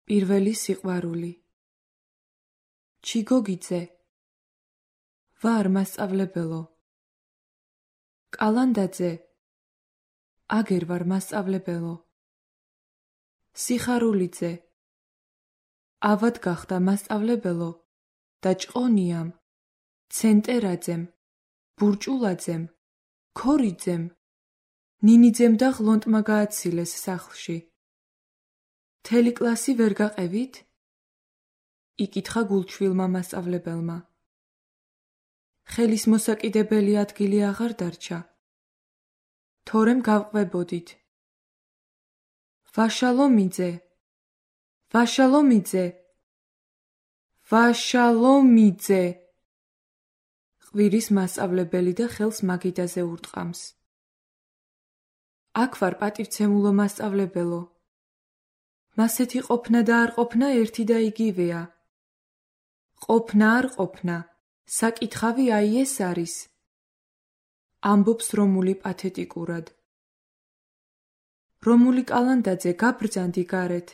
პირველი სიყვარული. ჩიგოგიძე. ვარ მასწავლებელო. კალანდაძე. აგერ ვარ მასწავლებელო. სიხარულიძე. ავად გახდა მასწავლებელო და ჭყონიამ, ცენტერაძემ, ბურჭულაძემ, ქორიძემ, ნინიძემ და ღლონტმა გააცილეს სახლში. მთელი კლასი ვერ გაყევით? იკითხა გულჩვილმა მასწავლებელმა. ხელის მოსაკიდებელი ადგილი აღარ დარჩა. თორემ გავყვებოდით. ვაშალომიძე, ვაშალომიძე, ვაშალომიძე. ყვირის მასწავლებელი და ხელს მაგიდაზე ურტყამს. აქ ვარ პატივცემულო მასწავლებელო. მასეთი ყოფნა და არ ყოფნა ერთი და იგივეა. ყოფნა არ ყოფნა, საკითხავი აი ეს არის. ამბობს რომული პათეტიკურად. რომული კალანდაძე, გაბრძანდი გარეთ.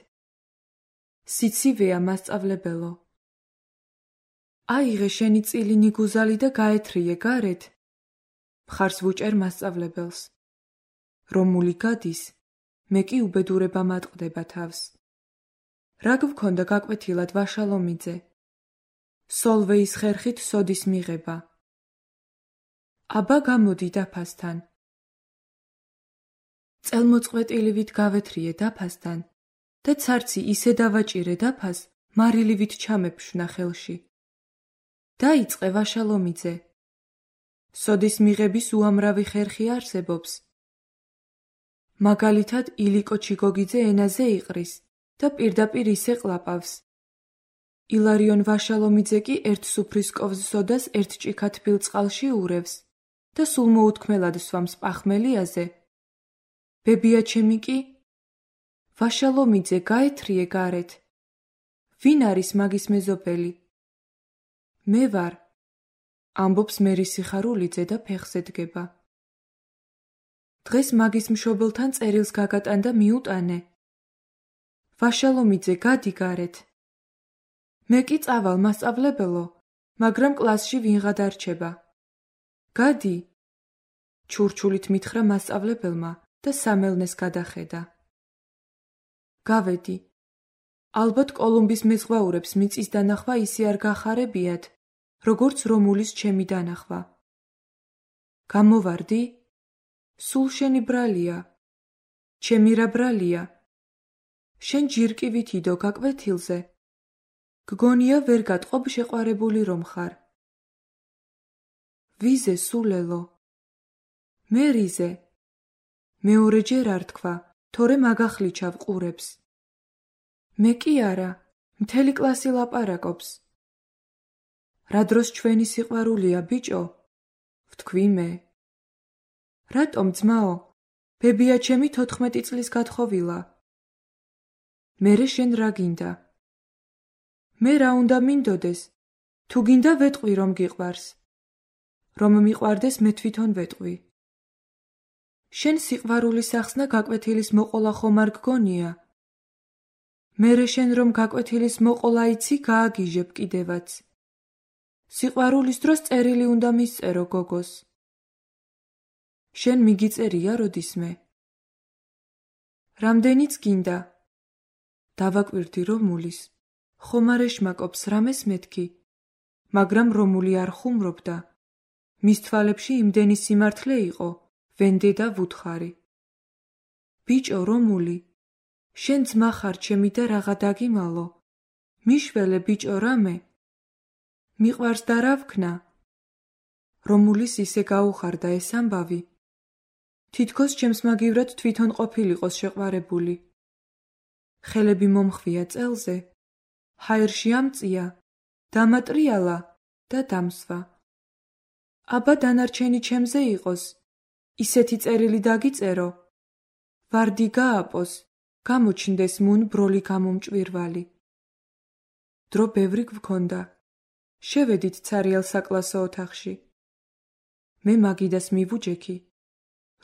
სიცივეა მასწავლებელო. აიღე შენი წილინი გუზალი და გაეთრიე გარეთ. მხარს ვუჭერ მასწავლებელს. რომული გადის, მე კი უბედურება მატყდება თავს. რა გვქონდა გაკვეთილად ვაშალომიძე? სოლვეის ხერხით სოდის მიღება. აბა გამოდი დაფასთან. წელმოწყვეტილივით გავეთრიე დაფასთან და ცარცი ისე დავაჭირე დაფას, მარილივით ჩამეფშვნა ხელში. დაიწყე ვაშალომიძე. სოდის მიღების უამრავი ხერხი არსებობს. მაგალითად ილიკო ჩიგოგიძე ენაზე იყრის და პირდაპირ ისე ყლაპავს. ილარიონ ვაშალომიძე კი ერთ სუფრისკოვს სოდას ერთ ჭიქა თბილ წყალში ურევს და სულ მოუთქმელად სვამს პახმელიაზე. ბებია ჩემი კი? ვაშალომიძე, გაეთრიე გარეთ. ვინ არის მაგის მეზობელი? მე ვარ, ამბობს მერი სიხარულიძე და ფეხზე დგება. დღეს მაგის მშობელთან წერილს გაგატან და მიუტანე. ვაშალომიძე, გადი გარეთ. მე კი წავალ მასწავლებელო, მაგრამ კლასში ვინღა დარჩება. გადი. ჩურჩულით მითხრა მასწავლებელმა და სამელნეს გადახედა. გავედი. ალბათ კოლუმბის მეზღვაურებს მიწის დანახვა ისე არ გახარებიათ, როგორც რომულის ჩემი დანახვა. გამოვარდი? სულ შენი ბრალია. ჩემი რა ბრალია? შენ ჯირკივით იდო გაკვეთილზე. გგონია ვერ გატყობ შეყვარებული რომ ხარ. ვიზე სულელო? მე რიზე? მეორეჯერ არ თქვა, თორემ აგახლიჩავ ყურებს. მე კი არა, მთელი კლასი ლაპარაკობს. რა დროს ჩვენი სიყვარულია, ბიჭო? ვთქვი მე. რატომ ძმაო? ბებია ჩემი 14 წლის გათხოვილა. მერე შენ რა გინდა? მე რა უნდა მინდოდეს? თუ გინდა ვეტყვი რომ გიყვარს. რომ მიყვარდეს მე თვითონ ვეტყვი. შენ სიყვარულის ახსნა გაკვეთილის მოყოლა ხომ არ გგონია? მერე შენ რომ გაკვეთილის მოყოლა იცი, გააგიჟებ კიდევაც. სიყვარულის დროს წერილი უნდა მისწერო გოგოს. შენ მიგიწერია როდისმე? რამდენიც გინდა? დავაკვირდი რომულის. ხომ არ ეშმაკობს რამეს მეთქი, მაგრამ რომული არ ხუმრობდა. მის თვალებში იმდენი სიმართლე იყო, ვენდე და ვუთხარი. ბიჭო რომული, შენ ძმა ხარ ჩემი და რაღა დაგიმალო. მიშველე ბიჭო რამე? მიყვარს და რა ვქნა? რომულის ისე გაუხარდა ეს ამბავი. თითქოს ჩემს მაგივრად თვითონ ყოფილიყოს შეყვარებული. ხელები მომხვია წელზე. ჰაერში ამწია, დამატრიალა და დამსვა. აბა დანარჩენი ჩემზე იყოს. ისეთი წერილი დაგიწერო. ვარდი გააპოს, გამოჩნდეს მუნ ბროლი გამომჭვირვალი. დრო ბევრი გვქონდა. შევედით ცარიელ საკლასო ოთახში. მე მაგიდას მივუჯექი.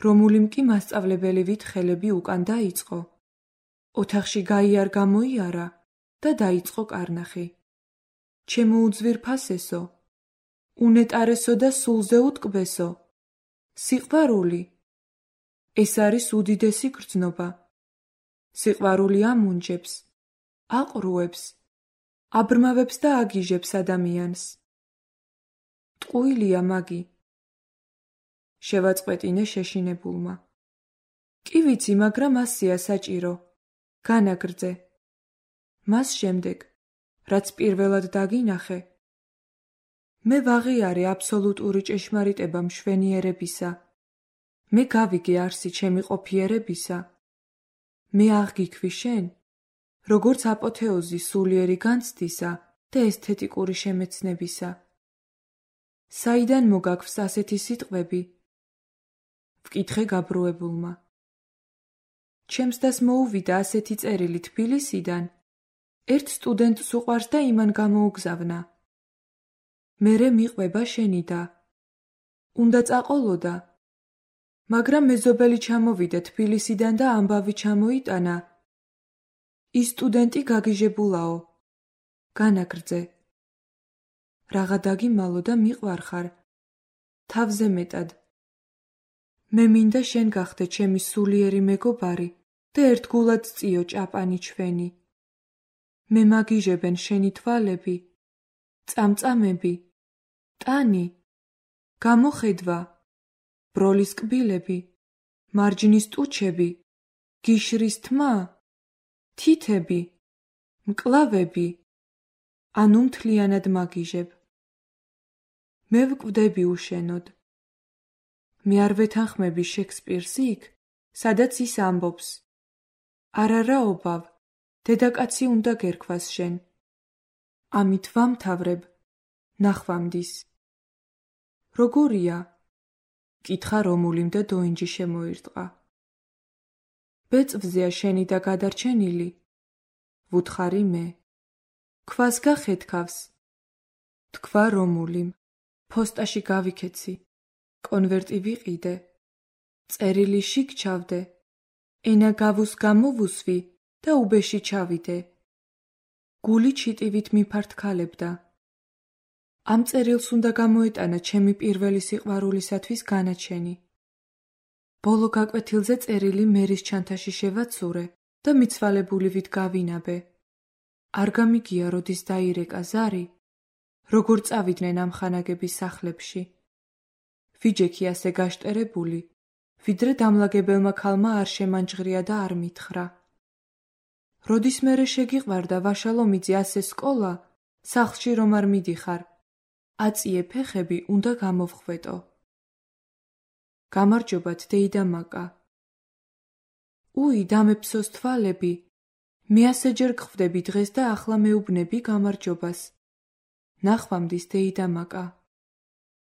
რომულიმ კი მასწავლებელივით ხელები უკან დაიწყო. ოთახში გაიარ გამოიარა, და დაიწყო კარნახი. ჩემო უძვირფასესო, უნეტარესო და სულზე უტკბესო, სიყვარული. ეს არის უდიდესი გრძნობა. სიყვარული ამუნჯებს, აყრუებს, აბრმავებს და აგიჟებს ადამიანს. ტყუილია მაგი. შევაწყვეტინე შეშინებულმა. კი ვიცი, მაგრამ ასეა საჭირო. განაგრძე. მას შემდეგ, რაც პირველად დაგინახე, მე ვაღიარე აბსოლუტური ჭეშმარიტება მშვენიერებისა. მე გავიგე არსი ჩემი ყოფიერებისა. მე აღგიქვი შენ, როგორც აპოთეოზი სულიერი განცდისა და ესთეტიკური შემეცნებისა. საიდან მოგაქვს ასეთი სიტყვები? ვკითხე გაბრუებულმა. ჩემს დას მოუვიდა ასეთი წერილი თბილისიდან, ერთ სტუდენტს უყვარს და იმან გამოუგზავნა. მერე მიყვება შენი და. უნდა წაყოლოდა. მაგრამ მეზობელი ჩამოვიდა თბილისიდან და ამბავი ჩამოიტანა. ის სტუდენტი გაგიჟებულაო. განაგრძე. რაღა დაგიმალო და მიყვარხარ. თავზე მეტად. მე მინდა შენ გახდე ჩემი სულიერი მეგობარი და ერთგულად წიო ჭაპანი ჩვენი. მე მაგიჟებენ შენი თვალები, წამწამები, ტანი, გამოხედვა, ბროლის კბილები, მარჯნის ტუჩები, გიშრის თმა, თითები, მკლავები, ანუ მთლიანად მაგიჟებ. მე ვკვდები უშენოდ. მე არ ვეთანხმები შექსპირს იქ, სადაც ის ამბობს. არა რა ობავ, დედაკაცი უნდა გერქვას შენ. ამით ვამთავრებ, ნახვამდის. როგორია? კითხა რომულიმ და დოინჯი შემოირტყა. ბეწვზეა შენი და გადარჩენილი? ვუთხარი მე. ქვას გახეთქავს? თქვა რომულიმ. ფოსტაში გავიქეცი. კონვერტი ვიყიდე. წერილი შიგ ჩავდე. ენა გავუს გამოვუსვი და უბეში ჩავიდე. გული ჩიტივით მიფართქალებდა. ამ წერილს უნდა გამოეტანა ჩემი პირველი სიყვარულისათვის განაჩენი. ბოლო გაკვეთილზე წერილი მერის ჩანთაში შევაცურე და მიცვალებულივით გავინაბე. არ გამიგია, როდის დაირეკა ზარი, როგორ წავიდნენ ამ ხანაგების სახლებში. ვიჯექი ასე გაშტერებული, ვიდრე დამლაგებელმა ქალმა არ შემანჯღრია და არ მითხრა. როდის მერე შეგიყვარდა ვაშალომიძე ასე სკოლა, სახლში რომ არ მიდიხარ, აწიე ფეხები უნდა გამოვხვეტო. გამარჯობათ დეიდა მაკა. უი, დამეფსოს თვალები, მე ასეჯერ გხვდები დღეს და ახლა მეუბნები გამარჯობას. ნახვამდის დეიდა მაკა.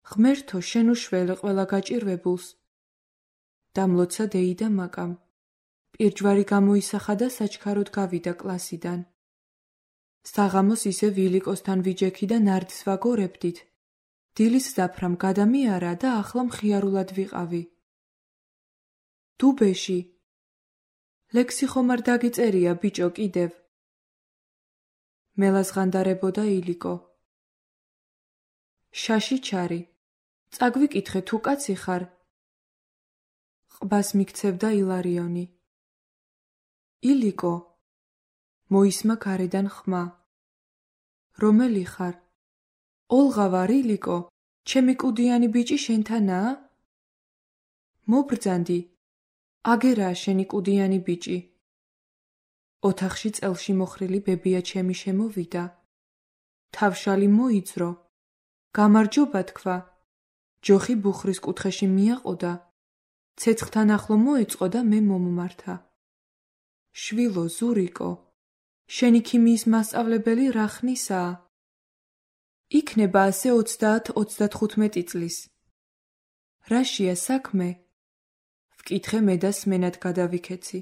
ღმერთო, შენ უშველე ყველა გაჭირვებულს. დამლოცა დეიდა მაკამ. პირჯვარი გამოისახა და საჩქაროდ გავიდა კლასიდან. საღამოს ისე ვილიკოსთან ვიჯექი და ნარდის ვაგორებდით. დილის ზაფრამ გადამიარა და ახლა მხიარულად ვიყავი. დუბეში. ლექსი ხომ არ დაგიწერია, ბიჭო, კიდევ. მელაზღანდარებოდა ილიკო. შაში ჩარი. წაგვიკითხე თუ კაცი ხარ. ყბას მიქცევდა ილარიონი. ილიკო. მოისმა გარედან ხმა. რომელი ხარ? ოლღა ვარ, ილიკო. ჩემი კუდიანი ბიჭი შენთანაა? მობრძანდი. აგერაა შენი კუდიანი ბიჭი. ოთახში წელში მოხრილი ბებია ჩემი შემოვიდა. თავშალი მოიძრო. გამარჯობა თქვა. ჯოხი ბუხრის კუთხეში მიაყოდა. ცეცხლთან ახლო მოეწყო და მე მომმართა. შვილო, ზურიკო, შენი ქიმიის მასწავლებელი რა ხნისაა? იქნება ასე 30-35 წლის. რაშია საქმე? ვკითხე მე და სმენად გადავიქეცი.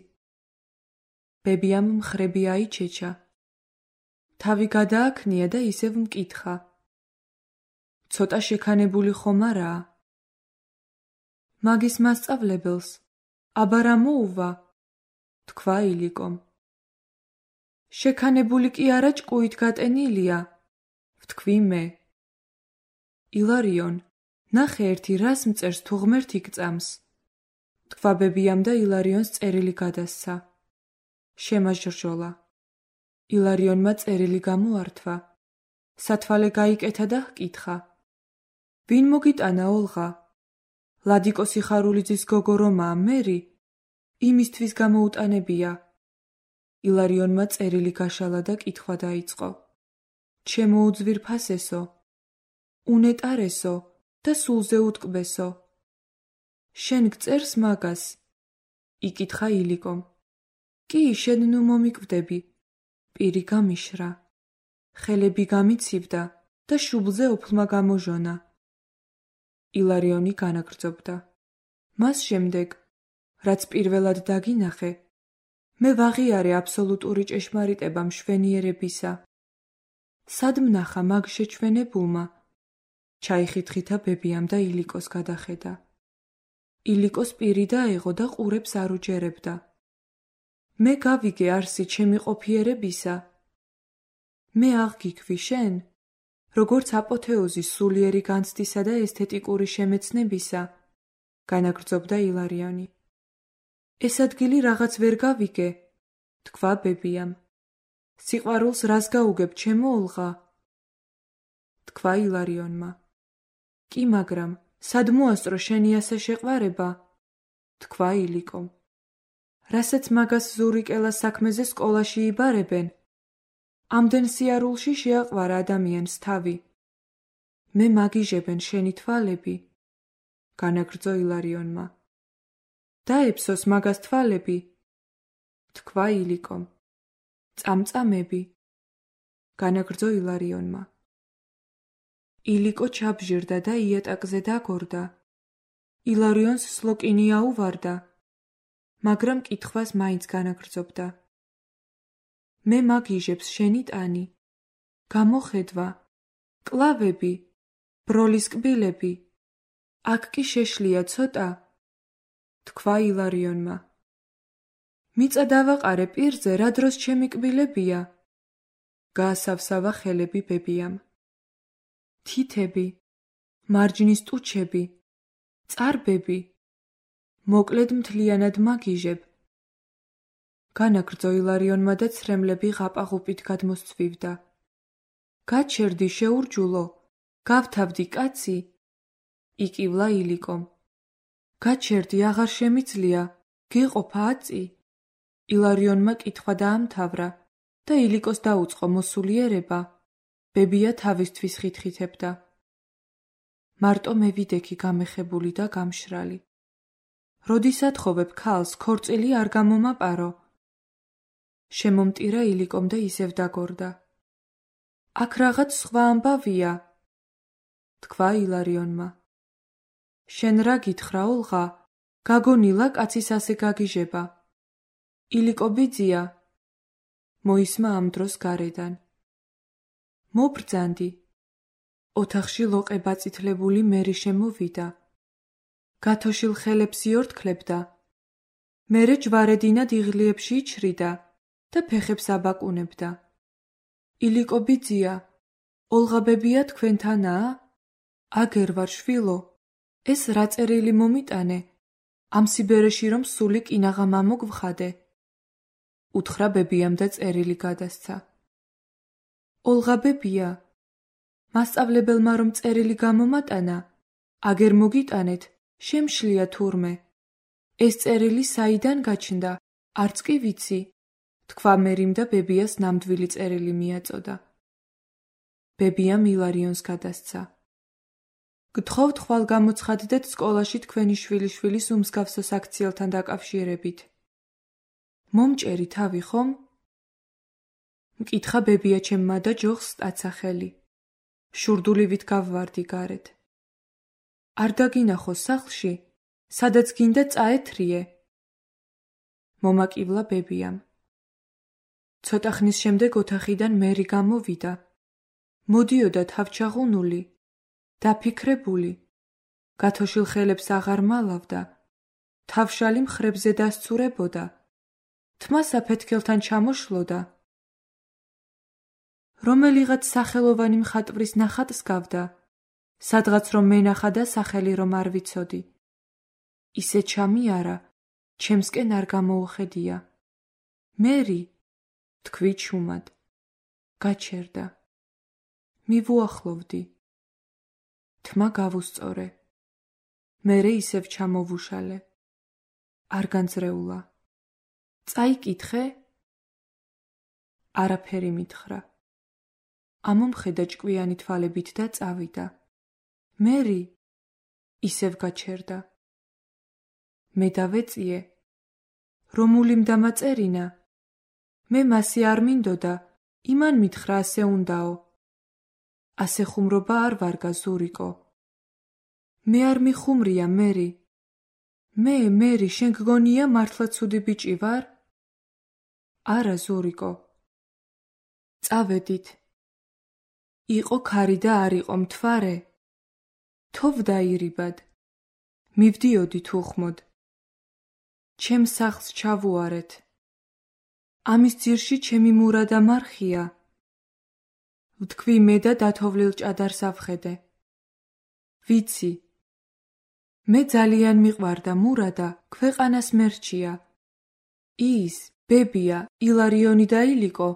ბებიამ მხრები აიჩეჩა. თავი გადააქნია და ისევ მკითხა. ცოტა შექანებული ხომ არაა? მაგის მასწავლებელს, აბა რა მოუვა? თქვა ილიკომ. შექანებული კი არა ჭკუით გატენილია, ვთქვი მე. ილარიონ, ნახე ერთი რას მწერს თუ ღმერთი გწამს. თქვა ბებიამ და ილარიონს წერილი გადასცა. შემაჟრჟოლა. ილარიონმა წერილი გამოართვა. სათვალე გაიკეთა და ჰკითხა. ვინ მოგიტანა ოლღა? ლადიკო სიხარულიძის გოგო რომაა მერი? იმისთვის გამოუტანებია. ილარიონმა წერილი გაშალა და კითხვა დაიწყო. ჩემო უძვირფასესო, უნეტარესო და სულზე უტკბესო. შენ გწერს მაგას? იკითხა ილიკომ. კი, შენ ნუ მომიკვდები. პირი გამიშრა. ხელები გამიცივდა და შუბლზე ოფლმა გამოჟონა. ილარიონი განაგრძობდა. მას შემდეგ, რაც პირველად დაგინახე, მე ვაღიარე აბსოლუტური ჭეშმარიტება მშვენიერებისა. სად მნახა მაგ შეჩვენებულმა? ჩაიხითხითა ბებიამ და ილიკოს გადახედა. ილიკოს პირი დაეღო და ყურებს არ უჯერებდა. მე გავიგე არსი ჩემი ყოფიერებისა. მე აღგიქვი შენ, როგორც აპოთეოზის სულიერი განცდისა და ესთეტიკური შემეცნებისა, განაგრძობდა ილარიონი. ეს ადგილი რაღაც ვერ გავიგე, თქვა ბებიამ. სიყვარულს რას გაუგებ, ჩემო ოლღა? თქვა ილარიონმა. კი, მაგრამ სად მოასწრო შენი ასე შეყვარება? თქვა ილიკომ. რასაც მაგას ზურიკელა საქმეზე სკოლაში იბარებენ, ამდენ სიარულში შეაყვარა ადამიანს თავი. მე მაგიჟებენ შენი თვალები, განაგრძო ილარიონმა. დაეფსოს მაგას თვალები, თქვა ილიკომ. წამწამები, განაგრძო ილარიონმა. ილიკო ჩაბჟირდა და იატაკზე დაგორდა. ილარიონს სლოკინი აუვარდა, მაგრამ კითხვას მაინც განაგრძობდა. მე მაგიჟებს შენი ტანი, გამოხედვა, კლავები, ბროლის კბილები. აქ კი შეშლია ცოტა, თქვა ილარიონმა. მიწა დავაყარე პირზე, რა დროს ჩემი კბილებია? გაასავსავა ხელები ბებიამ. თითები, მარჯნის ტუჩები, წარბები, მოკლედ მთლიანად მაგიჟებ. განაგრძო ილარიონმა და ცრემლები ღაპაღუპით გადმოსცვივდა. გაჩერდი შეურჯულო, გავთავდი კაცი, იკივლა ილიკომ. გაჩერდი აღარ შემიძლია, გეყოფა აწი. ილარიონმა კითხვა დაამთავრა და ილიკოს დაუწყო მოსულიერება. ბებია თავისთვის ხითხითებდა. მარტო მე ვიდექი გამეხებული და გამშრალი. როდის ათხოვებ ქალს, ქორწილი არ გამომაპარო. შემომტირა ილიკომ და ისევ დაგორდა. აქ რაღაც სხვა ამბავია, თქვა ილარიონმა. შენ რა გითხრა ოლღა? გაგონილა კაცის ასე გაგიჟება. ილიკო ბიძია, მოისმა ამ დროს გარედან. მობრძანდი. ოთახში ლოყე ბაწითლებული მერი შემოვიდა. გათოშილ ხელებს იორთქლებდა. მერე ჯვარედინად იღლიებში იჩრიდა და ფეხებს აბაკუნებდა. ილიკო ბიძია, ოლღა ბებია თქვენთანაა? აგერ ვარ შვილო, ეს რა წერილი მომიტანე, ამ სიბერეში რომ სული კინაღა მამოგვხადე. უთხრა ბებიამ და წერილი გადასცა. ოლღა ბებია, მასწავლებელმა რომ წერილი გამომატანა, აგერ მოგიტანეთ, შემშლია თურმე. ეს წერილი საიდან გაჩნდა, არც კი ვიცი, თქვა მერიმ და ბებიას ნამდვილი წერილი მიაწოდა. ბებიამ ილარიონს გადასცა. გთხოვთ ხვალ გამოცხადდეთ სკოლაში თქვენი შვილიშვილის უმსგავსო საქციელთან დაკავშირებით. მომჭერი თავი ხომ? მკითხა ბებია ჩემმა და ჯოხს სტაცახელი. შურდულივით გავვარდი გარეთ. არ დაგინახო სახლში, სადაც გინდა წაეთრიე. მომაკივლა ბებიამ. ცოტა ხნის შემდეგ ოთახიდან მერი გამოვიდა. მოდიოდა თავჩაღუნული, დაფიქრებული. გათოშილ ხელებს აღარ მალავდა. თავშალი მხრებზე დასცურებოდა. თმა საფეთქელთან ჩამოშლოდა. რომელიღაც სახელოვანი მხატვრის ნახატს გავდა, სადღაც რომ მენახა და სახელი რომ არ ვიცოდი. ისე ჩამიარა, ჩემსკენ არ გამოუხედია. მერი, თქვი ჩუმად. გაჩერდა. მივუახლოვდი. თმა გავუსწორე. მერე ისევ ჩამოვუშალე. არ განძრეულა. წაიკითხე? არაფერი მითხრა. ამომხედა ჭკვიანი თვალებით და წავიდა. მერი, ისევ გაჩერდა. მე დავეწიე, რომული მდამაწერინა, მე მასი არ მინდოდა, იმან მითხრა ასე უნდაო. ასე ხუმრობა არ ვარგა ზურიკო. მე არ მიხუმრია, მერი. მერი, შენ გგონია მართლა ცუდი ბიჭი ვარ? არა, ზურიკო. წავედით. იყო ქარი და არ იყო მთვარე. თოვდა ირიბად. მივდიოდით უხმოდ. ჩემს სახლს ჩავუარეთ. ამის ძირში ჩემი მურა და მარხია. ვთქვი მე და დათოვლილ ჭადარს ავხედე. ვიცი. მე ძალიან მიყვარდა მურადა, ქვეყანას მერჩია. ის, ბებია, ილარიონი და ილიკო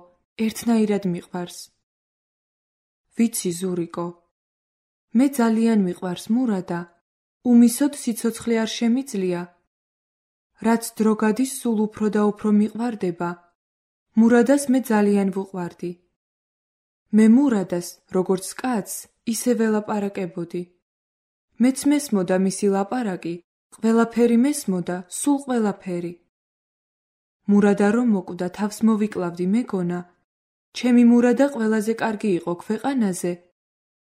ერთნაირად მიყვარს. ვიცი, ზურიკო. მე ძალიან მიყვარს მურადა, უმისოდ სიცოცხლე არ შემიძლია. რაც დრო გადის სულ უფრო და უფრო მიყვარდება. მურადას მე ძალიან ვუყვარდი. მე მურადას, როგორც კაცს, ისე ველაპარაკებოდი. მეც მესმოდა მისი ლაპარაკი, ყველაფერი მესმოდა, სულ ყველაფერი. მურადა რომ მოკვდა, თავს მოვიკლავდი მეგონა, ჩემი მურადა ყველაზე კარგი იყო ქვეყანაზე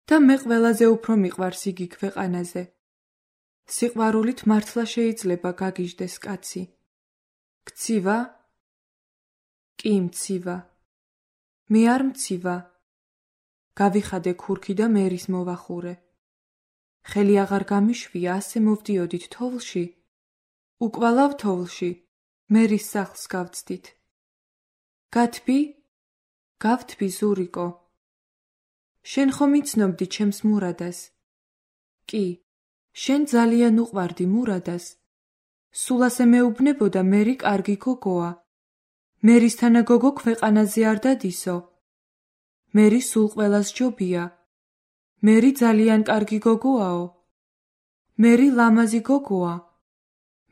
და მე ყველაზე უფრო მიყვარს იგი ქვეყანაზე. სიყვარულით მართლა შეიძლება გაგიჟდეს კაცი. გცივა? კი, მცივა. მე არ მცივა. გავიხადე ქურქი და მერის მოვახურე. ხელი აღარ გამიშვია, ასე მოვდიოდით თოვლში. უკვალავ თოვლში, მერის სახლს გავწდით. გათბი? გავთბი, ზურიკო. შენ ხომ იცნობდი ჩემს მურადას? კი, შენ ძალიან უყვარდი მურადას. სულ ასე მეუბნებოდა მერი კარგი გოგოა. მერისთანა გოგო ქვეყანაზე არ დადისო. მერი სულ ყველას ჯობია. მერი ძალიან კარგი გოგოაო. მერი ლამაზი გოგოა.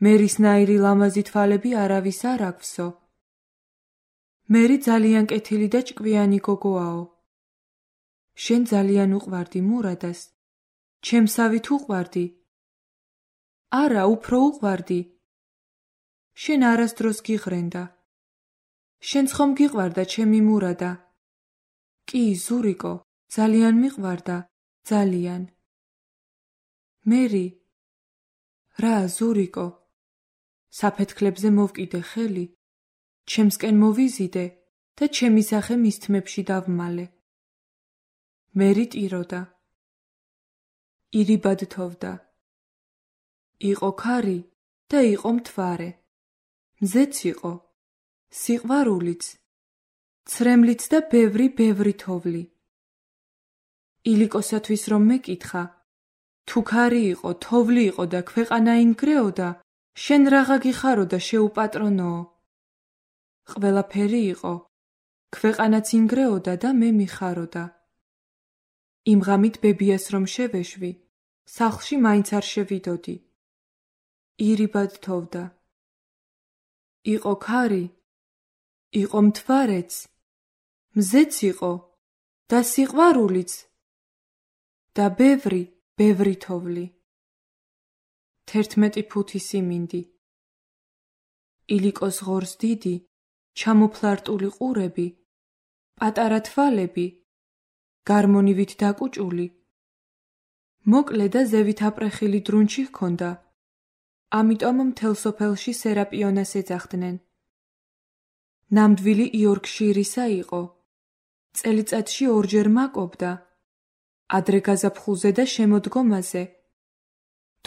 მერისნაირი ლამაზი თვალები არავის არ აქვსო. მერი ძალიან კეთილი და ჭკვიანი გოგოაო. შენ ძალიან უყვარდი მურადას. ჩემსავით უყვარდი? არა, უფრო უყვარდი. შენ არასდროს გიღრენდა. შენც ხომ გიყვარდა ჩემი მურადა? კი, ზურიკო, ძალიან მიყვარდა, ძალიან. მერი. რა, ზურიკო? საფეთქლებზე მოვკიდე ხელი, ჩემსკენ მოვიზიდე და ჩემი სახე მის თმებში დავმალე. მერი ტიროდა. ირიბად თოვდა. იყო ქარი და იყო მთვარე. მზეც იყო. სიყვარულიც. ცრემლიც და ბევრი თოვლი. ილიკოსათვის რომ მეკითხა, თუ ქარი იყო, თოვლი იყო და ქვეყანა ინგრეოდა, შენ რაღა გიხარო და შეუპატრონოო. ყველაფერი იყო. ქვეყანაც ინგრეოდა და მე მიხაროდა. იმ ღამით ბებიას რომ შევეშვი, სახლში მაინც არ შევიდოდი. ირიბად თოვდა. იყო ქარი, იყო მთვარეც, მზეც იყო და სიყვარულიც და ბევრი თოვლი. 11 ფუთი სიმინდი. ილიკოს ღორს დიდი, ჩამოფლარტული ყურები, პატარა თვალები, გარმონივით დაკუჭული. მოკლე და ზევით აპრეხილი დრუნჩი ჰქონდა, ამიტომ მთელ სოფელში სერაპიონას ეძახდნენ. ნამდვილი იორკშირისა იყო. წელიწადში ორჯერ მაკობდა. ადრე გაზაფხულზე და შემოდგომაზე.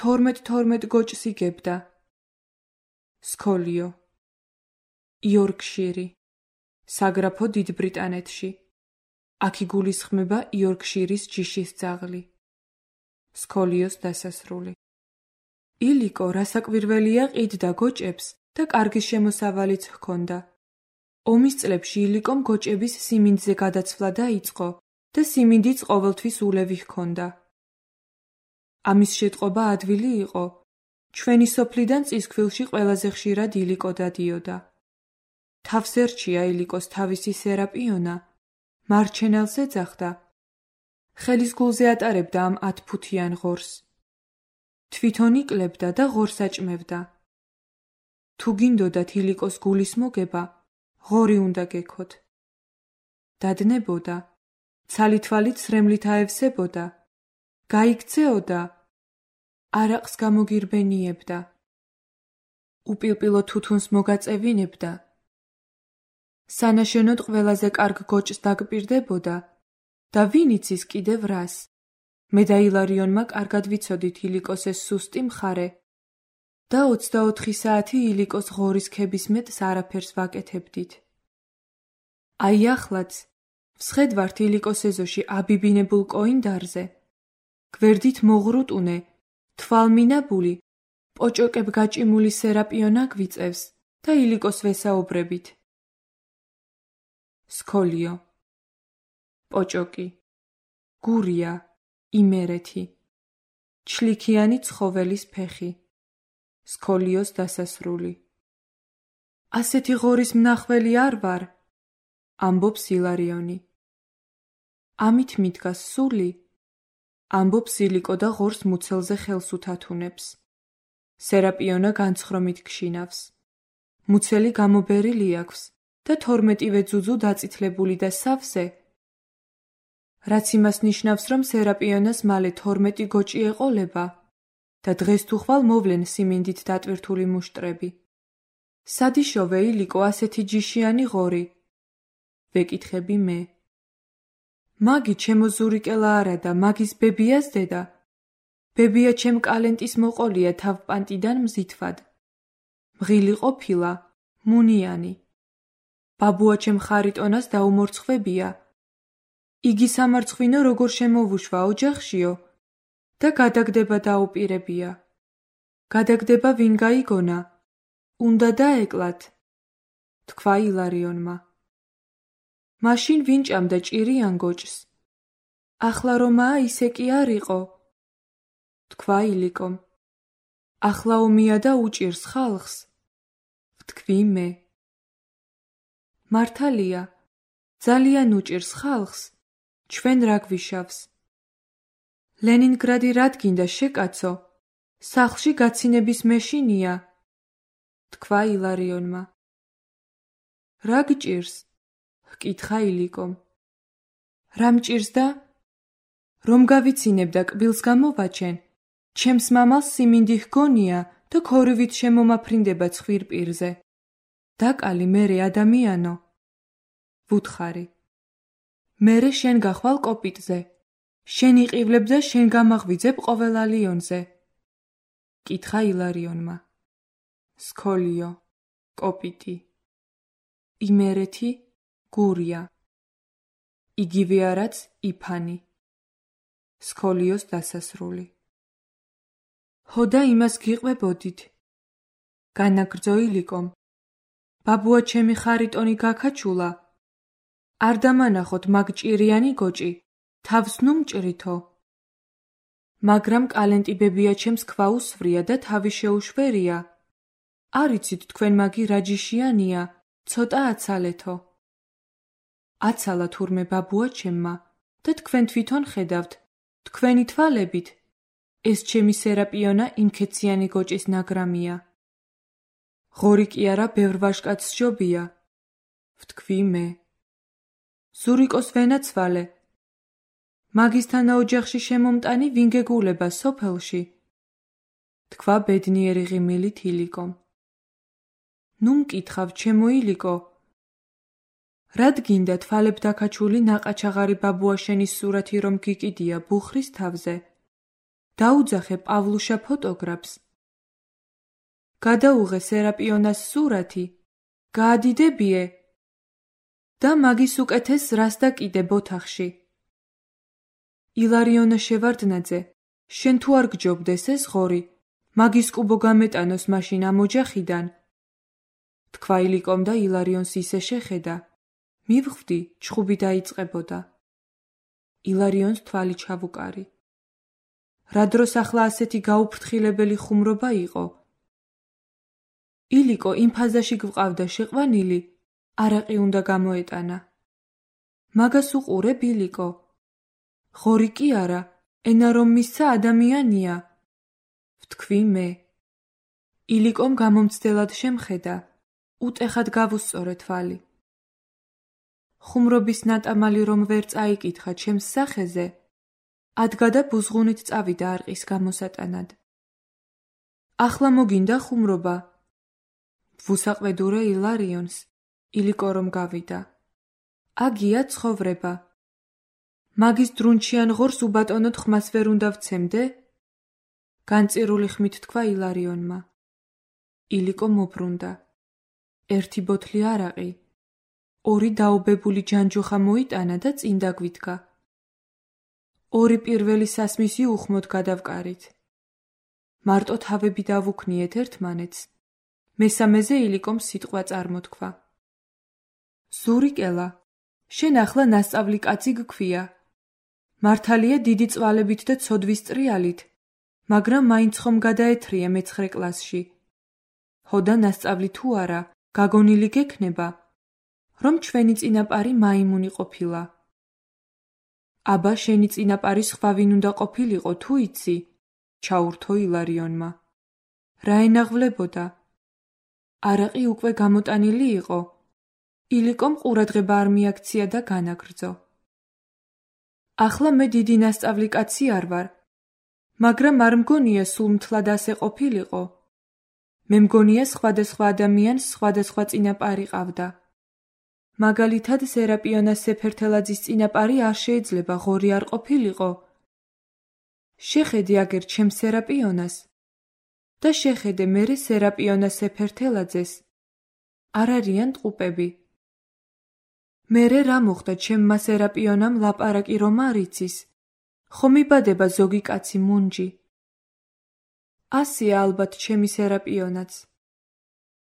12 გოჭს იგებდა. სქოლიო. იორკშირი. საგრაფო დიდ ბრიტანეთში. აქ იგულისხმება იორკშირის ჯიშის ძაღლი. სქოლიოს დასასრული. ილიკო რასაკვირველია ყიდდა გოჭებს და კარგი შემოსავალიც ჰქონდა. ომის წლებში ილიკომ გოჭების სიმინდზე გადაცვლა დაიწყო და სიმინდიც ყოველთვის ულევი ჰქონდა. ამის შეტყობა ადვილი იყო. ჩვენი სოფლიდან წისქვილში ყველაზე ხშირად ილიკო დადიოდა. თავს ერჩია ილიკოს თავისი სერაპიონა, მარჩენელს ეძახდა. ხელის გულზე ატარებდა ამ 10 ფუთიან ღორს. თვითონ იკლებდა და ღორს აჭმევდა. თუ გინდოდათ ილიკოს გულის მოგება, ღორი უნდა გექოთ. დადნებოდა, ცალითვალით სრემლით აევსებოდა, გაიქცეოდა, არაყს გამოგირბენიებდა. უპილპილო თუთუნს მოგაწევინებდა. სანაშენოდ ყველაზე კარგ გოჭს დაგპირდებოდა და ვინ იცის კიდევ რას. მე და ილარიონმა კარგად ვიცოდით ილიკოს ეს სუსტი მხარე და 24 საათი ილიკოს ღორის ქებისმეტს არაფერს ვაკეთებდით. აი ახლაც ვსხედვართ ილიკოს ეზოში აბიბინებულ კოინდარზე, გვერდით მოღრუტუნე, თვალმინაბული, პოჭოკებ გაჭიმული სერაპიონა გვიწევს და ილიკოს ვესაუბრებით. სქოლიო. პოჭოკი. გურია. იმერეთი. ჩლიქიანი ცხოველის ფეხი. სქოლიოს დასასრული. ასეთი ღორის მნახველი არ ვარ, ამბობს ილარიონი. ამით მიდგას სული, ამბობს ილიკო და ღორს მუცელზე ხელს უთათუნებს. სერაპიონა განცხრომით გშინავს. მუცელი გამობერილი აქვს და 12 ძუძუ დაწითლებული და სავსე, რაც იმას ნიშნავს, რომ სერაპიონას მალე 12 გოჭი ეყოლება და დღეს თუ ხვალ მოვლენ სიმინდით დატვირთული მუშტრები. სად იშოვე ილიკო ასეთი ჯიშიანი ღორი? ვეკითხები მე. მაგი ჩემო ზურიკელა არა და მაგის ბებიას დედა. ბებია ჩემ კალენტის მოყოლია თავპანტიდან მზითვად. მღილი ყოფილა, მუნიანი. ბაბუა ჩემ ხარიტონას დაუმორცხვებია. იგი სამარცხვინო როგორ შემოვუშვა ოჯახშიო და გადაგდება დაუპირებია. გადაგდება ვინ გაიგონა? უნდა დაეკლათ, თქვა ილარიონმა. მაშინ ვინ ჭამდა ჭირიან გოჭს? ახლა რომაა ისე კი არ იყო, თქვა ილიკომ. ახლა ომია და უჭირს ხალხს, ვთქვი მე. მართალია, ძალიან უჭირს ხალხს, ჩვენ რა გვიშავს? ლენინგრადი რად გინდა შეკაცო? სახლში გაცინების მეშინია, თქვა ილარიონმა. რა გჭირს? ჰკითხა ილიკომ. რა მჭირს და? რომ გავიცინებ და კბილს გამოვაჩენ, ჩემს მამალს სიმინდი ჰგონია და ქორივით შემომაფრინდება ცხვირპირზე. დაკალი მერე ადამიანო. ვუთხარი. მერე შენ გახვალ კოპიტზე. შენ იყივლებ და შენ გამაღვიძებ ყოველ ალიონზე. კითხა ილარიონმა. სქოლიო. კოპიტი. იმერეთი. გურია. იგივე არაც იფანი. სქოლიოს დასასრული. ჰოდა იმას გიყვებოდით. განაგრძო ილიკომ. ბაბუა ჩემი ხარიტონი გაქაჩულა. არ დამანახოთ მაგ ჭირიანი გოჭი, თავს ნუ მჭრითო. მაგრამ კალენტი ბებია ჩემს ქვაუსვრია და თავი შეუშვერია. არ იცით თქვენ მაგი რა ჯიშიანია, ცოტა აცალეთო. აცალა თურმე ბაბუა ჩემმა და თქვენ თვითონ ხედავთ, თქვენი თვალებით, ეს ჩემი სერაპიონა იმქეციანი გოჭის ნაგრამია. ღორი კი არა ბევრ ვაჟკაცს ჯობია, ვთქვი მე. ზურიკოს ვენაცვალე. მაგისთან ოჯახში შემომტანი ვინ გეგულება სოფელში? თქვა ბედნიერი ღიმილით ილიკომ. ნუ მკითხავ, ჩემო ილიკო. რად გინდა თვალებ დაქაჩული ნაყაჩაღარი ბაბუა შენის სურათი რომ გიკიდია ბუხრის თავზე? დაუძახე პავლუშა ფოტოგრაფს. გადაუღე სერაპიონას სურათი. გაადიდებიე. და მაგის უკეთეს რას და კიდე ოთახში. ილარიონა შევარდნაძე, შენ თუ არ გჯობდეს ეს ღორი, მაგის კუბო გამეტანოს მაშინ ამ ოჯახიდან. თქვა ილიკომ და ილარიონს ისე შეხედა, მივხვდი, ჩხუბი დაიწყებოდა. ილარიონს თვალი ჩავუკარი. რა დროს ახლა ასეთი გაუფრთხილებელი ხუმრობა იყო? ილიკო იმ ფაზაში გვყავდა შეყვანილი, არაყი უნდა გამოეტანა. მაგას უყურებ, ილიკო? ღორი კი არა, ენა რომ მისცა ადამიანია. ვთქვი მე. ილიკომ გამომცდელად შემხედა, უტეხად გავუსწორე თვალი. ხუმრობის ნატამალი რომ ვერ წაიკითხა ჩემს სახეზე, ადგა და ბუზღუნით წავიდა არყის გამოსატანად. ახლა მოგინდა ხუმრობა? ვუსაყვედურე ილარიონს, ილიკო რომ გავიდა. აგია ცხოვრება. მაგის დრუნჩიან ღორს უბატონოდ ხმას ვერ უნდა ვცემდე? განწირული ხმით თქვა ილარიონმა. ილიკო მობრუნდა. ერთი ბოთლი არაყი, 2 დაობებული ჯანჯუხა მოიტანა და წინ დაგვიდგა. 2 პირველი სასმისი უხმოდ გადავკარით. მარტო თავები დავუქნიეთ ერთმანეთს. მესამეზე ილიკომ სიტყვა წარმოთქვა. ზურიკელა, შენ ახლა ნასწავლი კაცი გქვია. მართალია დიდი წვალებით და ცოდვის ტრიალით, მაგრამ მაინც ხომ გადაეთრია მე-9 კლასში. ჰოდა ნასწავლი თუ არა, გაგონილი გექნება, რომ ჩვენი წინაპარი მაიმუნი ყოფილა. აბა შენი წინაპარი სხვა ვინ უნდა ყოფილიყო თუ იცი? ჩაურთო ილარიონმა. რა ენაღვლებოდა? არაყი უკვე გამოტანილი იყო. ილიკომ ყურადღება არ მიაქცია და განაგრძო. ახლა მე დიდი ნასწავლი კაცი არ ვარ, მაგრამ არ მგონია სულ მთლად ასე ყოფილიყო. მე მგონია სხვადასხვა ადამიანს სხვადასხვა წინაპარი ყავდა. მაგალითად სერაპიონა სეფერთელაძის წინაპარი არ შეიძლება ღორი არ ყოფილიყო. შეხედე აგერ ჩემს სერაპიონას და შეხედე მერე სერაპიონა სეფერთელაძეს. არ არიან ტყუპები. მერე რა მოხდა ჩემმა სერაპიონამ ლაპარაკი რომ არ იცის, ხომ იბადება ზოგი კაცი მუნჯი. ასია ალბათ ჩემი სერაპიონაც.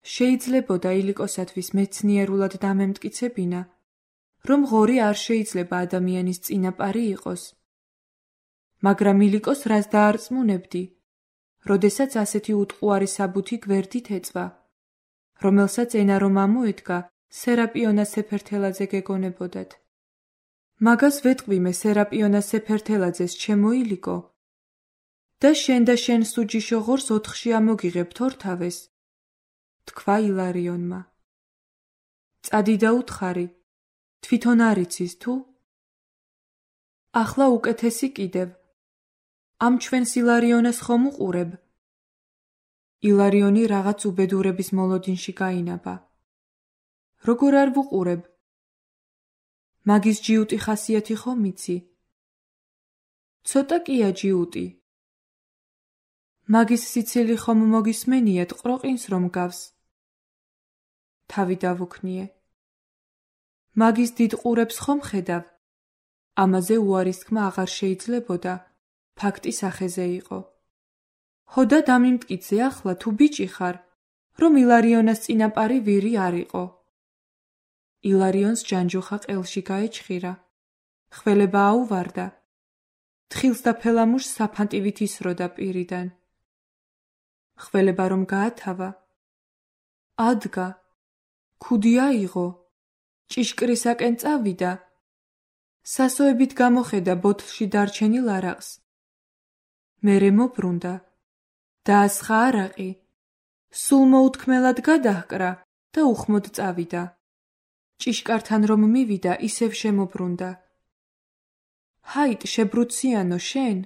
შეიძლებოდა ილიკოსათვის მეცნიერულად დამემტკიცებინა, რომ ღორი არ შეიძლება ადამიანის წინაპარი იყოს. მაგრამ ილიკოს რას დაარწმუნებდი, როდესაც ასეთი უტყუარი საბუთი გვერდით ეწვა, რომელსაც ენა რომ ამოედგა, სერაპიონა სეფერთელაძე გეგონებოდათ. მაგას ვეთყვი მე სერაპიონა სეფერთელაძეს, ჩემო ილიკო. და შენ სუჯიშო ღორს 4-ში ამოგიღებთ ორთავეს, თქვა ილარიონმა. წადი და უთხარი, თვითონ არ იცის თუ? ახლა უკეთესი კიდევ. ამ ჩვენს ილარიონას ხომ უყურებ? ილარიონი რაღაც უბედურების მოლოდინში გაინაბა. როგორ არ ვუყურებ? მაგის ჯიუტი ხასიათი ხომ იცი? ცოტა კია ჯიუტი. მაგის სიცილი ხომ მოგისმენიათ ყროყინს რომ გავს? თავი დავუქნიე. მაგის დიდ ყურებს ხომ ხედავ? ამაზე უარის თქმა აღარ შეიძლებოდა, ფაქტი სახეზე იყო. ჰოდა დამიმტკიცე ახლა თუ ბიჭი ხარ, რომ ილარიონას წინაპარი ვირი არ იყო. ილარიონს ჯანჯუხა ყელში გაეჩხირა. ხველება აუვარდა. თხილს და ფელამუშს საფანტივით ისროდა პირიდან. ხველება რომ გაათავა. ადგა. ქუდი აიღო. ჭიშკრისაკენ წავიდა. სასოებით გამოხედა ბოთლში დარჩენილ არაყს. მერე მობრუნდა. დაასხა არაყი. სულ მოუთქმელად გადაჰკრა და უხმოდ წავიდა. ჭიშკართან რომ მივიდა, ისევ შემობრუნდა. ჰაით, შებრუციანო შენ?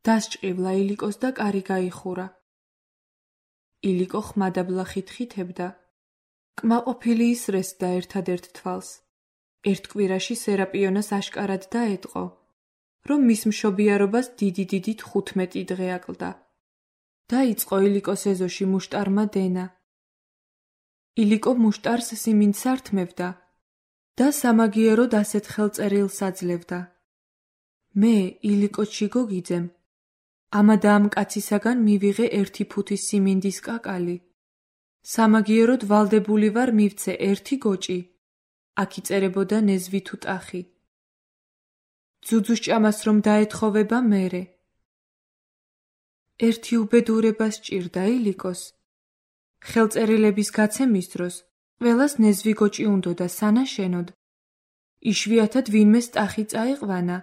დასჭყივლა ილიკოს და კარი გაიხურა. ილიკო ხმადაბლახით ხითებდა. კმაყოფილი ისრესდა ერთადერთ თვალს. ერთ კვირაში სერაპიონას აშკარად დაეტყო, რომ მის მშობიარობას დიდი 15 დღე აკლდა. დაიწყო ილიკოს ეზოში მუშტარმა დენა. ილიკო მუშტარს სიმინდს ართმევდა, და სამაგიეროდ ასეთ ხელწერილს აძლევდა. მე, ილიკო ჩიგოგიძემ, ამა და ამ კაცისაგან მივიღე 1 ფუთის სიმინდის კაკალი. სამაგიეროდ ვალდებული ვარ მივცე 1 გოჭი. აქ იწერებოდა ნეзвი თუ ტახი. ძუძუს ჭამას რომ დაეთხოვება მერე. ერთი უბედურება სჭირდა ილიკოს. ხელწერილების გაცემის დროს ყველას ნეзвი გოჭი უნდოდა სანაშენოდ. იშვიათად ვინმეს ტახი წაიყვანა.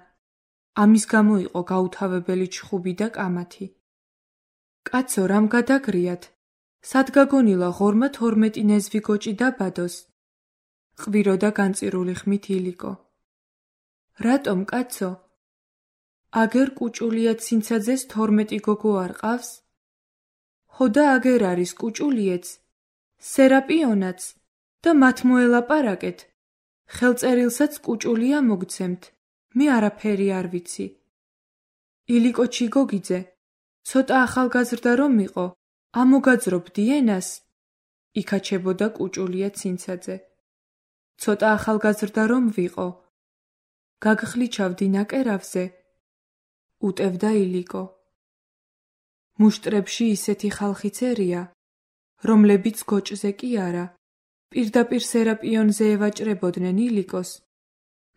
ამის გამო იყო გაუთავებელი ჩხუბი და კამათი. კაცო, რამ გადაგრიათ? სად გაგონილა ღორმა 12 ნეзвი გოჭი დაბადოს? ყვიროდა განწირული ხმით ილიკო. რატომ, კაცო? აგერ კუჭულია ცინცაძეს 12 გოგო არ ყავს? ხო და აგერ არის კუჭულიეც, სერაპიონაც და მათ მოელაპარაკეთ. ხელწერილსაც კუჭულია მოგცემთ. მე არაფერი არ ვიცი. ილიკო ჩიგოგიძე, ცოტა ახალგაზრდა რომ იყო, ამოგაძრობდი ენას? იქაჩებოდა კუჭულია ცინცაძე. ცოტა ახალგაზრდა რომ ვიყო, გაგხლიჩავდი ნაკერავზე? უტევდა ილიკო. მუშტრებში ისეთი ხალხი წერია, რომლებიც გოჭზე კი არა, პირდაპირ სერაპიონზე ევაჭრებოდნენ ილიკოს,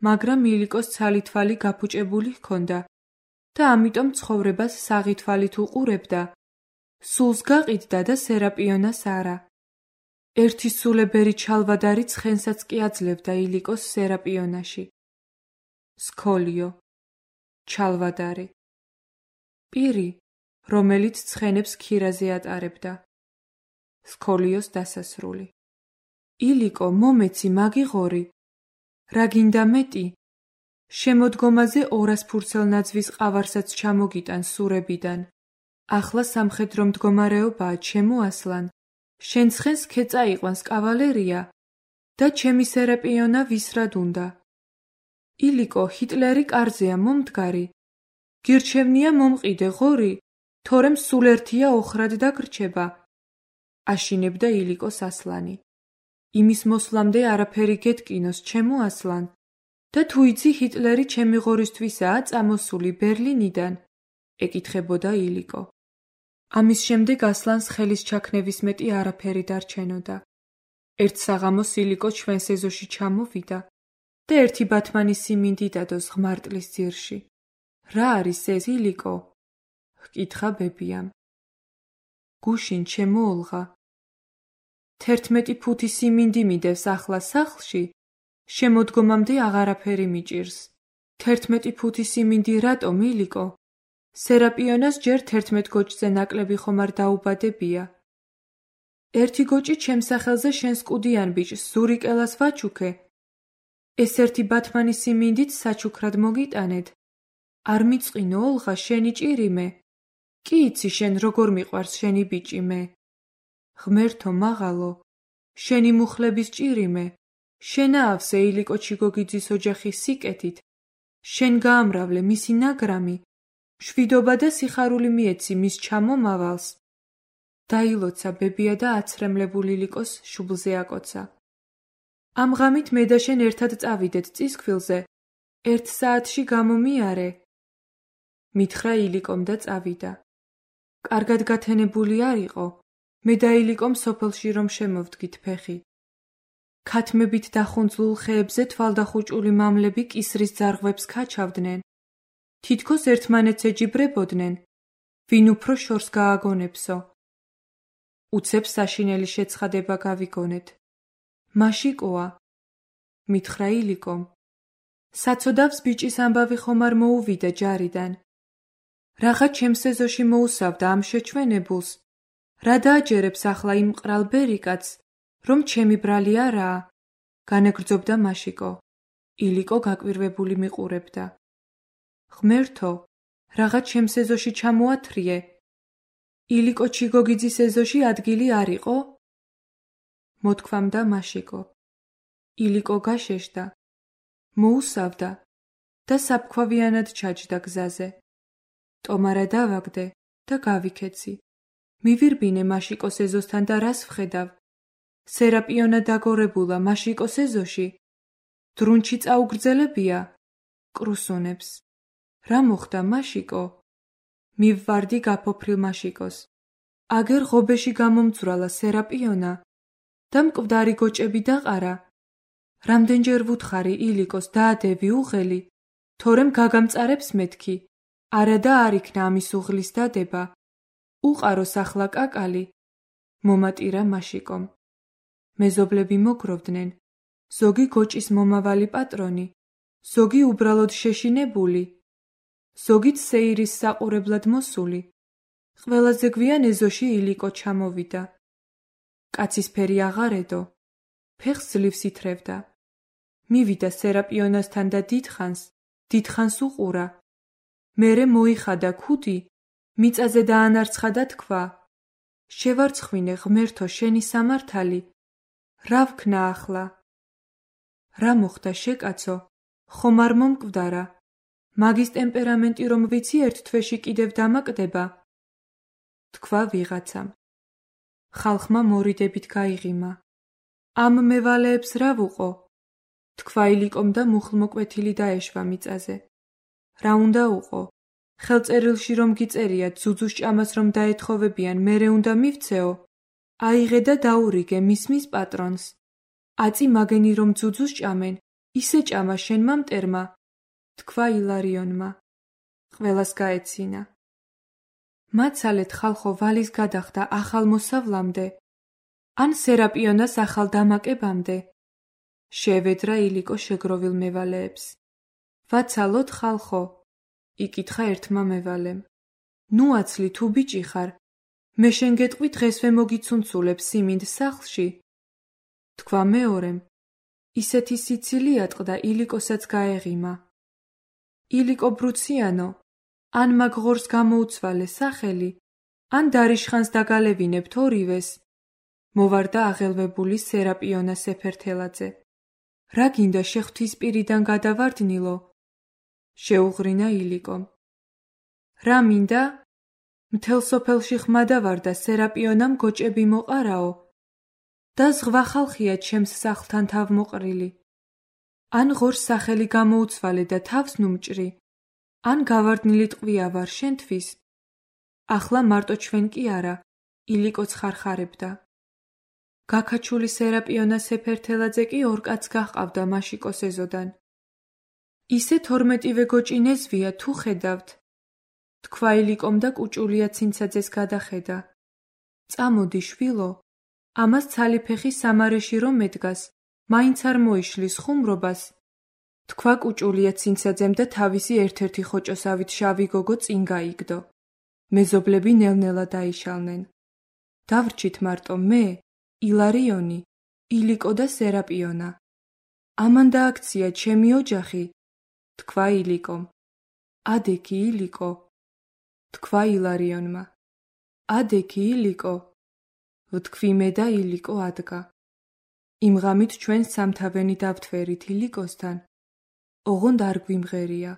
მაგრამ ილიკოს ცალი-თვალი გაფუჭებული ჰქონდა და ამიტომ ცხოვრებას საღი თვალით უყურებდა, სულს გაყიდდა და სერაპიონას არა. ერთი სულებერი ჩალვადარი ცხენსაც კი აძლევდა ილიკოს სერაპიონაში. სქოლიო, ჩალვადარი. პირი, რომელიც ცხენებს ქირაზე ატარებდა. სქოლიოს დასასრული. ილიკო, მომეცი მაგიღორი. რა გინდა მეტი? შემოდგომაზე 200 ფურცელნაძვის ყავარსაც ჩამოგიტან სურებიდან. ახლა სამხედრო მდგომარეობაა, ჩემო ასლან. შენ ცხენს ქეწა იყვანს კავალერია და ჩემი სერაპიონა ვისრად უნდა? ილიკო, ჰიტლერი კარზეა მომდგარი. გირჩევნია მომყიდე ღორი, თორემ სულ ერთია ოხრად დაგრჩება. აშინებდა ილიკოს ასლანი. იმის მოსვლამდე არაფერი გეტკინოს, ჩემო ასლან. და თუ იცი ჰიტლერი ჩემი ღორისთვისაა წამოსული ბერლინიდან? ეკითხებოდა ილიკო. ამის შემდეგ ასლანს ხელის ჩაქნევის მეტი არაფერი დარჩენოდა. ერთ საღამოს ილიკო ჩვენ სეზოში ჩამოვიდა და ერთი ბათმანი სიმინდი დადოს ღმარტლის ძირში. რა არის ეს, ილიკო? ჰკითხა ბებიამ. გუშინ, ჩემო ოლღა. 11 ფუთი სიმინდი მიდევს ახლა სახლში, შემოდგომამდე აღარაფერი მიჭირს. 11 ფუთი სიმინდი რატომ, ილიკო? სერაპიონას ჯერ 11 გოჭზე ნაკლები ხომ არ დაუბადებია. ერთი გოჭი ჩემ სახელზე შენს კუდიან ბიჭს ზურიკელას ვაჩუქე. ეს ერთი ბათმანი სიმინდით საჩუქრად მოგიტანედ. არ მიწყინო ოლღა შენი ჭირი მე? კი იცი შენ როგორ მიყვარს შენი ბიჭი მე? ღმერთო მაღალო, შენი მუხლების ჭირი მე. შენა ავსე ილიკო ჩიგოგიძის ოჯახის სიკეთით. შენ გაამრავლე მისი ნაგრამი. მშვიდობა და სიხარული მიეცი მის ჩამომავალს. დაილოცა ბებია და აცრემლებული ილიკოს შუბლზე აკოცა. ამ ღამით მე და შენ ერთად წავიდეთ წისქვილზე. 1 საათში გამომიარე. მითხრა ილიკომ და წავიდა. კარგად გათენებული არ იყო. მე და ილიკომ სოფელში რომ შემოვდგით ფეხი. ქათმებით დახუნძლულ ხეებზე თვალდახუჭული მამლები კისრის ძარღვებს ქაჩავდნენ. თითქოს ერთმანეთს ეჯიბრებოდნენ, ვინ უფრო შორს გააგონებსო. უცებ საშინელი შეცხადება გავიგონეთ. მაშიკოა, მითხრა ილიკომ. საცოდავს ბიჭის ამბავი ხომ არ მოუვიდა ჯარიდან. რაღა ჩემს ეზოში მოუსავდა ამ შეჩვენებულს. რა დააჯერებს ახლა იმ მყრალ ბერიკაც, რომ ჩემი ბრალი არაა? განეგრძობდა მაშიკო. ილიკო გაკვირვებული მიყურებდა. ღმერთო, რაღა ჩემს ეზოში ჩამოათრიე. ილიკო ჩიგოგიძის ეზოში ადგილი არ იყო? მოთქვამდა მაშიკო. ილიკო გაშეშდა, მოუსავდა და საფქვავიანად ჩაჯდა გზაზე. ტომარა დავაგდე და გავიქეცი. მივირბინე მაშიკოს ეზოსთან და რას ვხედავ? სერაპიონა დაგორებულა მაშიკოს ეზოში? დრუნჩი წაუგრძელებია? კრუსუნებს. რა მოხდა, მაშიკო? მივვარდი გაფოფრილ მაშიკოს. აგერ ღობეში გამომძვრალა სერაპიონა და მკვდარი გოჭები დაყარა. რამდენჯერ ვუთხარი ილიკოს დაადევი უღელი, თორემ გაგამწარებს მეთქი, არა და არ იქნა ამის უღლის დადება. უყაროს ახლა კაკალი. მომატირა მაშიკომ. მეზობლები მოგროვდნენ, ზოგი გოჭის მომავალი პატრონი, ზოგი უბრალოდ შეშინებული, ზოგიც სეირის საყურებლად მოსული. ყველაზე გვიან ეზოში ილიკო ჩამოვიდა. კაცის ფერი აღარ ედო, ფეხს ძლივს ითრევდა. მივიდა სერაპიონასთან და დიდხანს უყურა. მერე მოიხადა ქუდი, მიწაზე დაანარცხა და თქვა: შევარცხვინე ღმერთო შენი სამართალი, რა ვქნა ახლა? რა მოხდა შეკაცო, ხომ არ მომკვდარა? მაგის ტემპერამენტი რომ ვიცი ერთ თვეში კიდევ დამაკდება? თქვა ვიღაცამ. ხალხმა მორიდებით გაიღიმა. ამ მევალეებს რა ვუყო? თქვა ილიკომ და მუხლმოკვეთილი დაეშვა მიწაზე. რა უნდა უყო? ხელწერილში რომ გიწერიათ ძუძუს ჭამას რომ დაეთხოვებიან, მერე უნდა მივცეო? აიღე და დაურიგე მისმის პატრონს. აწი მაგენი რომ ძუძუს ჭამენ, ისე ჭამა შენმა მტერმა, თქვა ილარიონმა. ყველას გაეცინა. მაცალეთ ხალხო ვალის გადახდა ახალ მოსავლამდე, ან სერაპიონას ახალ დამაკებამდე. შევედრა ილიკო შეგროვილ მევალეებს. ვაცალოთ ხალხო, იკითხა ერთმა მევალემ. ნუ აცლი თუ ბიჭი ხარ, მე შენ გეტყვი დღესვე მოგიცუნცულებ სიმინდ სახლში. თქვა მეორემ. ისეთი სიცილი ატყდა ილიკოსაც გაეღიმა. ილიკო ბრუციანო, ან მაგ ღორს გამოუცვალე სახელი, ან დარიშხანს დაგალევინებთ ორივეს. მოვარდა აღელვებული სერაპიონა სეფერთელაძე. რა გინდა შეხვთისპირიდან გადავარდნილო? შეუღრინა ილიკომ. რა მინდა? მთელ სოფელში ხმა დავარდა სერაპიონამ გოჭები მოყარაო და ზღვა ხალხია ჩემს სახლთან თავმოყრილი. ან ღორს სახელი გამოუცვალე და თავს ნუმჭრი, ან გავარდნილი ტყვია ვარ შენთვის. ახლა მარტო ჩვენ კი არა, ილიკოც ხარხარებდა. გაქაჩული სერაპიონა სეფერთელაძე კი ორ კაცს გაჰყავდა მაშიკოს ეზოდან. ისე 12-ვე გოჭი ნეზვია თუ ხედავთ, თქვა ილიკომ და კუჭულია ცინცაძეს გადახედა. წამოდი შვილო, ამას ცალი ფეხი სამარეში რომ მედგას, მაინც არ მოიშლის ხუმრობას, თქვა კუჭულია ცინცაძემ და თავისი ერთ-ერთი ხოჭოსავით შავი გოგო წინ გაიგდო. მეზობლები ნელ-ნელა დაიშალნენ. დავრჩით მარტო მე, ილარიონი, ილიკო და სერაპიონა. ამან დააქცია ჩემი ოჯახი, თქვა ილიკომ. ადექი ილიკო, თქვა ილარიონმა. ადექი ილიკო, ვთქვი მე და ილიკო ადგა. იმ ღამით ჩვენ სამთავენი დავთვერით ილიკოსთან, ოღონდ არ გვიმღერია.